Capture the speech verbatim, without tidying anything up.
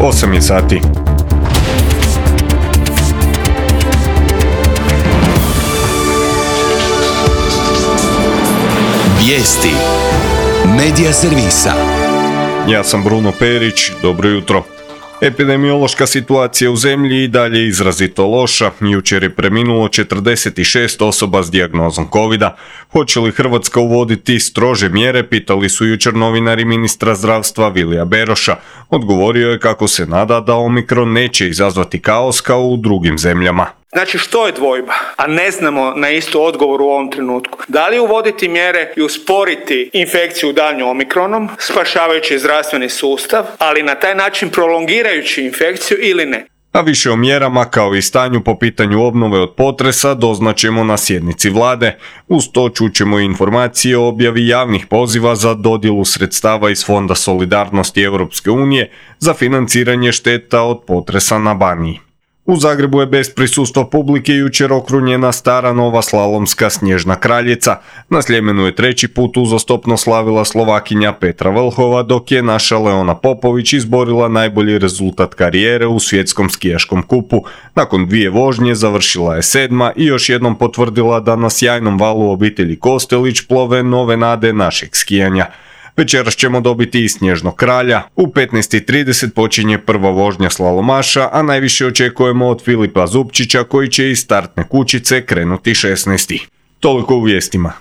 osam je sati. Vijesti Medija servisa. Ja sam Bruno Perić, dobro jutro. Epidemiološka situacija u zemlji i dalje je izrazito loša. Jučer je preminulo četrdeset šest osoba s dijagnozom kovida. Hoće li Hrvatska uvoditi strože mjere, pitali su jučer novinari ministra zdravstva Vilija Beroša. Odgovorio je kako se nada da Omikron neće izazvati kaos kao u drugim zemljama. Znači, što je dvojba? A ne znamo na istu odgovor u ovom trenutku. Da li uvoditi mjere i usporiti infekciju daljnju omikronom, spašavajući zdravstveni sustav, ali na taj način prolongirajući infekciju ili ne? A više o mjerama kao i stanju po pitanju obnove od potresa doznaćemo na sjednici vlade. Uz to čućemo i informacije o objavi javnih poziva za dodjelu sredstava iz Fonda solidarnosti Europske unije za financiranje šteta od potresa na Baniji. U Zagrebu je bez prisustva publike jučer okrunjena stara nova slalomska snježna kraljica. Na Sljemenu je treći put uzastopno slavila Slovakinja Petra Vlhova, dok je naša Leona Popović izborila najbolji rezultat karijere u svjetskom skijaškom kupu. Nakon dvije vožnje završila je sedma i još jednom potvrdila da na sjajnom valu obitelji Kostelić plove nove nade našeg skijanja. Večeras ćemo dobiti i snježnog kralja. U petnaest i trideset počinje prva vožnja slalomaša, a najviše očekujemo od Filipa Zupčića koji će iz startne kućice krenuti šesnaesti. Toliko u vijestima.